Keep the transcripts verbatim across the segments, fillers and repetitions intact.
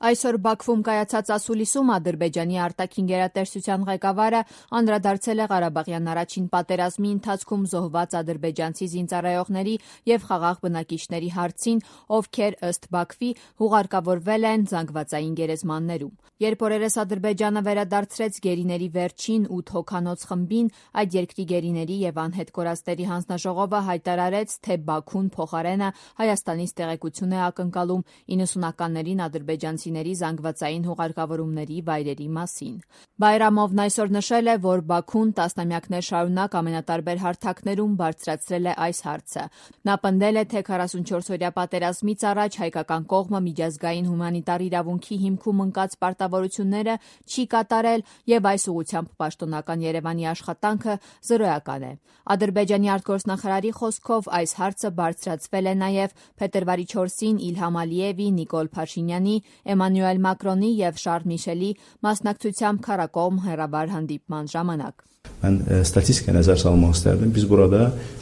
Այսօր Բաքվում կայացած ասուլիսում Ադրբեջանի արտաքին գերատեսչության ղեկավարը անդրադարձել է Ղարաբաղյան առաջին պատերազմի ընթացքում զոհված ադրբեջանցի զինծառայողների և խաղաղ բնակիչների հարցին, ովքեր ըստ Բաքվի հուղարկավորվել են զանգվածային գերեզմաններում։ Երբ օրերս Ադրբեջանը վերադարձրեց գերիների վերջին ութ հոգանոց խմբին, այդ երկրի գերիների և անհետ կորածների հանձնաժողովը հայտարարեց, թե Բաքուն փոխարենը Հայաստանից տեղեկություն է ակնկալում իննսունականներին ադրբեջանցիների զանգվածային հուղարկավորումների վայրերի մասին։ Բայրամովն այսօր նշել է, որ Բաքուն տասնամյակներ շարունակ ամենատարբեր հարթակներում բարձրացրել է այս հարցը։ Նա պնդել է, թե քառասունչորսօրյա պատերազմից առաջ հայկական կողմը միջազգային հումանիտար իրավունքի հիմքում ընկած պարտավորությունները չի կատարել և այս ուղղությամբ պաշտոնական Երևանի աշխատանքը զրոյական է։ Ադրբեջանի արտգործնախարարի խոսքով այս հարցը բարձրացվել է նաև փետրվարի չորսին Իլհամ Ալիևի, Նիկոլ Փաշինյանի, Էմանուել Մակրոնի և Շարլ Միշելի մասնակցությամբ քառակողմ հեռավար հանդիպման ժամանակ։ Mən statistikaya nəzər salmaq istərdim. Biz burada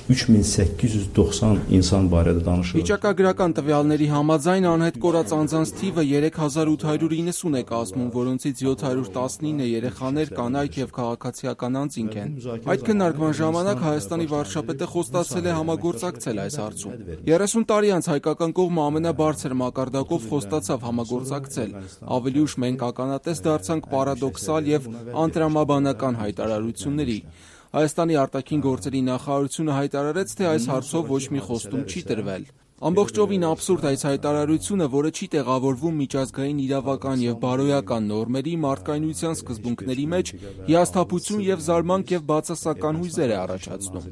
üç min səkkiz yüz doxsan insan barədə danışırıq. Վիճակագրական տվյալների համաձայն անհետ կորած անձանց թիվը երեք հազար ութ հարյուր իննսուն է կազմում, որոնցից յոթ հարյուր տասնինը երեխաներ, կանայք և քաղաքացիական անձինք են։ Այդ քննարկման ժամանակ Հայաստանի վարչապետը խոստացել է համագործակցել այս հարցում։ երեսուն տարի անց հայկական կողմը ամենաբարձր մակարդակով խոստացավ համագործակցել։ Ավելի ուշ մենք ականատես դարձանք պարադոքսալ և անտրամաբանական հայտարարությունների։ Հայաստանի արտաքին գործերի նախարարությունը հայտարարեց, թե այս հարցով ոչ մի խոստում չի տրվել։ Ամբողջովին աբսուրդ այս հայտարարությունը, որը չի տեղավորվում միջազգային իրավական և բարոյական նորմերի, մարդկայնության սկզբունքների մեջ, հիասթափություն և զարմանք և բացասական հույզեր է առաջացնում։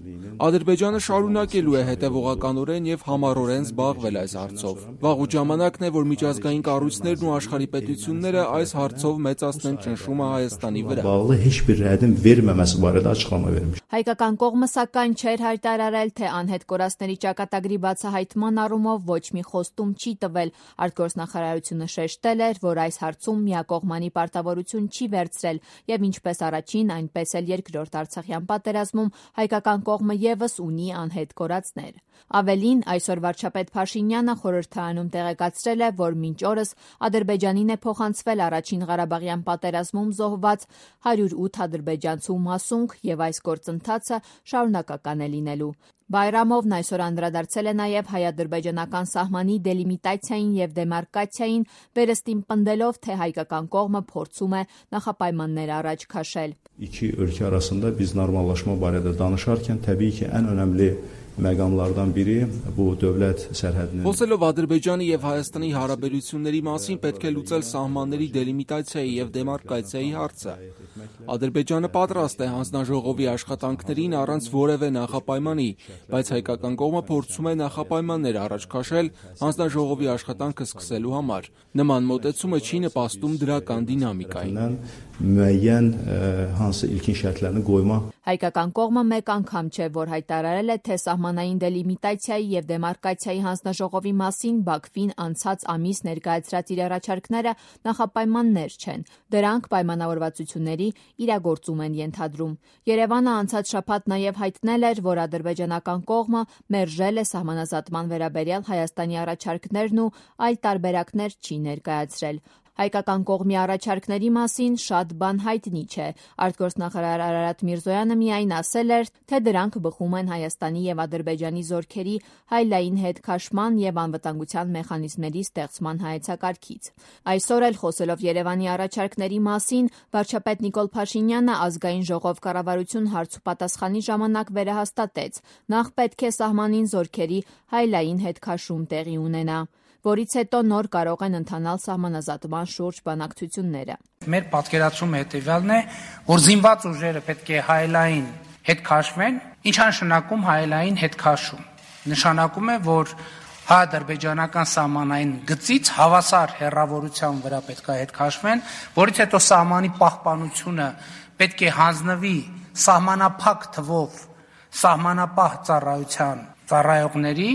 Ադրբեջանը շարունակելու է հետևողականորեն և համառորեն զբաղվել այս հարցով։ Վաղուց ժամանակն է, որ միջազգային կառույցներն ու աշխարհի պետությունները այս հարցով մեծացնեն ճնշումը Հայաստանի վրա։ Հայկական կողմը սակայն չէր հայտարարել, թե անհետ կորածների ճակատագրի բացահայտման առումով ոչ մի խոստում չի տվել։ Արտգործնախարարությունը շեշտել էր, որ այս հարցում միակողմանի պարտավորություն չի վերցրել և ինչպես առաջին, այնպես էլ երկրորդ Արցախյան պատերազմում հայկական կողմը ևս ունի անհետ կորածներ։ Ավելին, այսօր վարչապետ Փաշինյանը խորհրդարանում տեղեկացրել է, որ մինչ օրս Ադրբեջանին է փոխանցվել առաջին Ղարաբաղյան պատերազմում զոհված հարյուր ութ ադրբեջանցու մասունք և այս գործընթացը շարունակական է լինելու։ Բայրամովն այսօր անդրադարձել է նաև հայ-ադրբեջանական սահմանի դելիմիտացիային և դեմարկացիային, վերստին պնդելով, թե հայկական կողմը փորձում է նախապայմաններ առաջ քաշել։ İki ölkə arasında biz normallaşma barədə danışarkən təbii ki, ən önəmli məqamlardan biri bu dövlət sərhədinin Խոսելով Ադրբեջանի և Հայաստանի հարաբերությունների մասին պետք է լուծել սահմանների դելիմիտացիայի և դեմարկացիայի հարցը։ Ադրբեջանը պատրաստ է հանձնաժողովի աշխատանքներին առանց որևէ նախապայմանի, բայց հայկական կողմը փորձում է նախապայմաններ առաջ քաշել հանձնաժողովի աշխատանքը սկսելու համար։ Նման մոտեցումը չի նպաստում դրական դինամիկային։ Müəyyən hansı ilkin şərtlərini qoyma Հայկական կողմը մեկ անգամ չէ, որ հայտարարել է, թե սահմանային դելիմիտացիայի և դեմարկացիայի հանձնաժողովի մասին Բաքվին անցած ամիս ներկայացրած իր առաջարկները նախապայմաններ չեն։ Դրանք պայմանավորվածությունների իրագործում են ենթադրում։ Երևանը անցած շաբաթ նաև հայտնել էր, որ ադրբեջանական կողմը մերժել է սահմանազատման վերաբերյալ Հայաստանի առաջարկներն ու այլ տարբերակներ չի ներկայացրել։ Հայկական կողմի առաջարկների մասին շատ բան հայտնի չէ։ Արտգործնախարար Արարատ Միրզոյանը միայն ասել էր, թե դրանք բխում են Հայաստանի և Ադրբեջանի զորքերի հայլային հետքաշման և անվտանգության մեխանիզմների ստեղծման հայեցակարգից։ Այսօր էլ խոսելով Երևանի առաջարկների մասին, վարչապետ Նիկոլ Փաշինյանը ազգային ժողով կառավարություն հարց ու պատասխանի ժամանակ վերահաստատեց. նախ պետք է սահմանին զորքերի հայլային հետքաշում տեղի ունենա, որից հետո նոր կարող են ընթանալ սահմանազատման շուրջ բանակցությունները։ Մեր պատկերացումը հետևյալն է, որ զինված ուժերը պետք է հայլային հետ քաշվեն, ինչ նշանակում հայլային հետ քաշում։ Նշանակում է, որ հայ-ադրբեջանական սահմանային գծից հավասար հեռավորության վրա պետք է հետ քաշվեն, որից հետո սահմանի պահպանությունը պետք է հանձնվի սահմանափակ թվով սահմանապահ ծառայության ծառայողների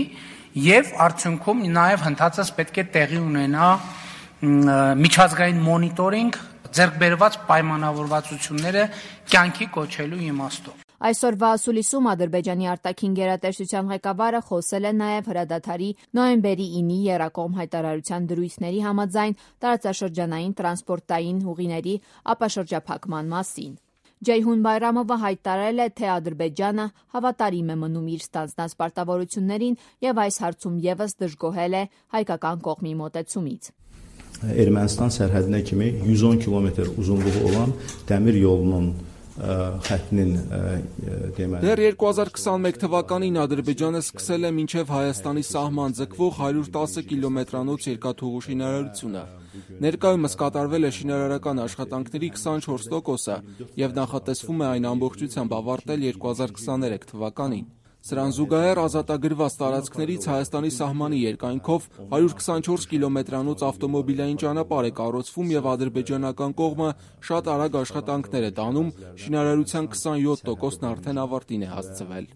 և արդյունքում նաև հնդածս պետք է տեղի ունենա միջազգային մոնիտորինգ ձեռք բերված պայմանավորվածությունները կյանքի կոչելու իմաստով։ Այսօրվա ասուլիսում Ադրբեջանի արտաքին գերատեսչության ղեկավարը խոսել է նաև հրադադարի նոյեմբերի ինի եռակողմ հայտարարության դրույթների համաձայն տարածաշրջանային տրանսպորտային ուղիների ապաշրջափակման մասին։ Ջեյհուն Բայրամովը հայտարարել է, թե Ադրբեջանը հավատարիմ է մնում իր ստանձնած պարտավորություններին եւ այս հարցում եւս դժգոհել է հայկական կողմի մոտեցումից։ Ermənistan sərhədinə kimi yüz on kilometr uzunluğu olan dəmir yolunun xəttinin deməli Դեռ երկու հազար քսաներկու թվականին Ադրբեջանը սկսել է մինչև Հայաստանի սահման ձգվող հարյուր տասը կիլոմետրանոց երկաթուղու շինարարությունը։ Ներկայումս կատարվել է շինարարական աշխատանքների քսանչորս տոկոսը եւ նախատեսվում է այն ամբողջությամբ ավարտել երկու հազար քսաներեք թվականին։ Սրան զուգահեռ ազատագրված տարածքներից Հայաստանի սահմանի երկայնքով հարյուր քսանչորս կիլոմետրանոց ավտոմոբիլային ճանապարհ է կառուցվում եւ ադրբեջանական կողմը շատ արագ աշխատանքներ է տանում, շինարարության քսանյոթ տոկոսն արդեն ավարտին է հասցվել։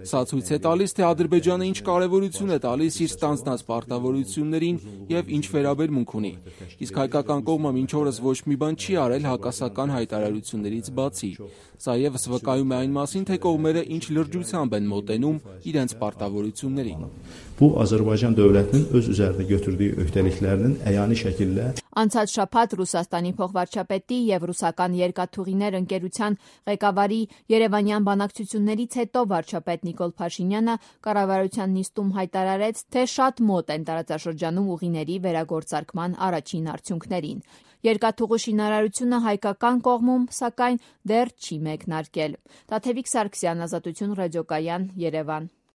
Սա ցույց է տալիս, թե Ադրբեջանը ինչ կարևորություն է տալիս իր ստանձնած պարտավորություններին եւ ինչ վերաբերմունք ունի։ Իսկ հայկական կողմը մինչ օրս ոչ մի բան չի արել հակասական հայտարարություններից բացի։ Սա եւս վկայում է այն մասին, թե կողմերը ինչ լրջությամբ են մոտենում իրենց պարտավորություններին։ Bu Azərbaycan dövlətinin öz üzərinə götürdüyü öhdəliklərinin əyani şəkildə Անցած շաբաթ Ռուսաստանի փոխվարչապետի եւ ռուսական երկաթուղիներ ընկերության ղեկավարի երևանյան բանակցություններից հետո վարչապետ Նիկոլ Փաշինյանը կառավարության նիստում հայտարարեց, թե շատ մոտ են տարածաշրջանում ուղիների վերագործարկման առաջին արդյունքներին։ Երկաթուղու շինարարությունը հայկական կողմում, սակայն, դեռ չի մեկնարկել։ Տաթևիկ Սարգսյան, Ազատություն ռադիոկայան, Երևան։